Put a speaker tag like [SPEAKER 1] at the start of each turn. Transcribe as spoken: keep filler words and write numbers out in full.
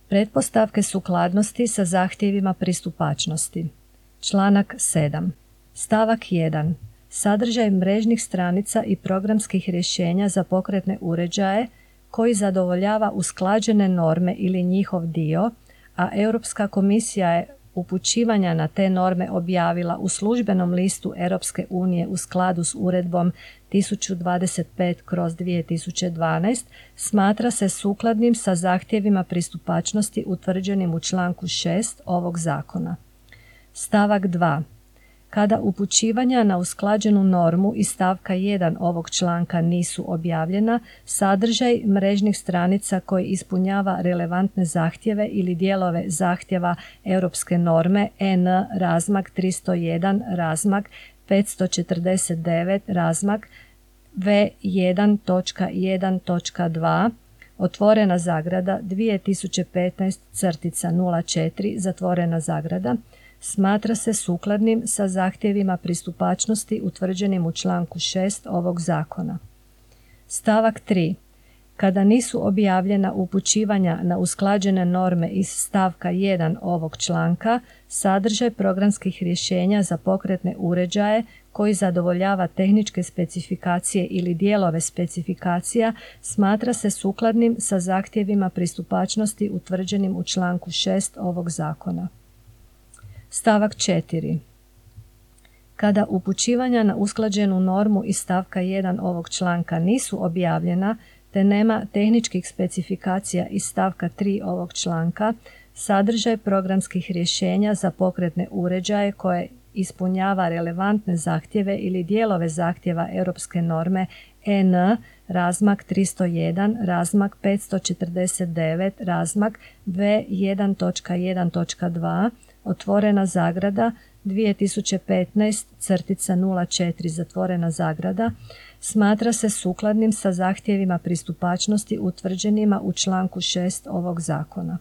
[SPEAKER 1] Pretpostavke sukladnosti sa zahtjevima pristupačnosti. Članak sedam. Stavak jedan. Sadržaj mrežnih stranica i programskih rješenja za pokretne uređaje koji zadovoljava usklađene norme ili njihov dio, a Europska komisija je upućivanja na te norme objavila u službenom listu Europske unije u skladu s uredbom tisuću dvadeset pet kroz dvije tisuće dvanaest, smatra se sukladnim sa zahtjevima pristupačnosti utvrđenim u članku šest ovog zakona. Stavak dva. Kada upućivanja na usklađenu normu iz stavka jedan ovog članka nisu objavljena, sadržaj mrežnih stranica koji ispunjava relevantne zahtjeve ili dijelove zahtjeva europske norme E N razmak tristo jedan razmak petsto četrdeset devet razmak V jedan točka jedan točka dva otvorena zagrada dvije tisuće petnaest nula četiri zatvorena zagrada smatra se sukladnim sa zahtjevima pristupačnosti utvrđenim u članku šest ovog zakona. Stavak tri. Kada nisu objavljena upućivanja na usklađene norme iz stavka jedan ovog članka, sadržaj programskih rješenja za pokretne uređaje koji zadovoljava tehničke specifikacije ili dijelove specifikacija smatra se sukladnim sa zahtjevima pristupačnosti utvrđenim u članku šest ovog zakona. Stavak četiri. Kada upućivanja na usklađenu normu iz stavka jedan ovog članka nisu objavljena te nema tehničkih specifikacija iz stavka tri ovog članka, sadržaj programskih rješenja za pokretne uređaje koje ispunjava relevantne zahtjeve ili dijelove zahtjeva europske norme E N razmak tristo jedan razmak petsto četrdeset devet razmak V jedan točka jedan točka dva otvorena zagrada dvije tisuće petnaest nula četiri zatvorena zagrada smatra se sukladnim sa zahtjevima pristupačnosti utvrđenima u članku šest ovog zakona.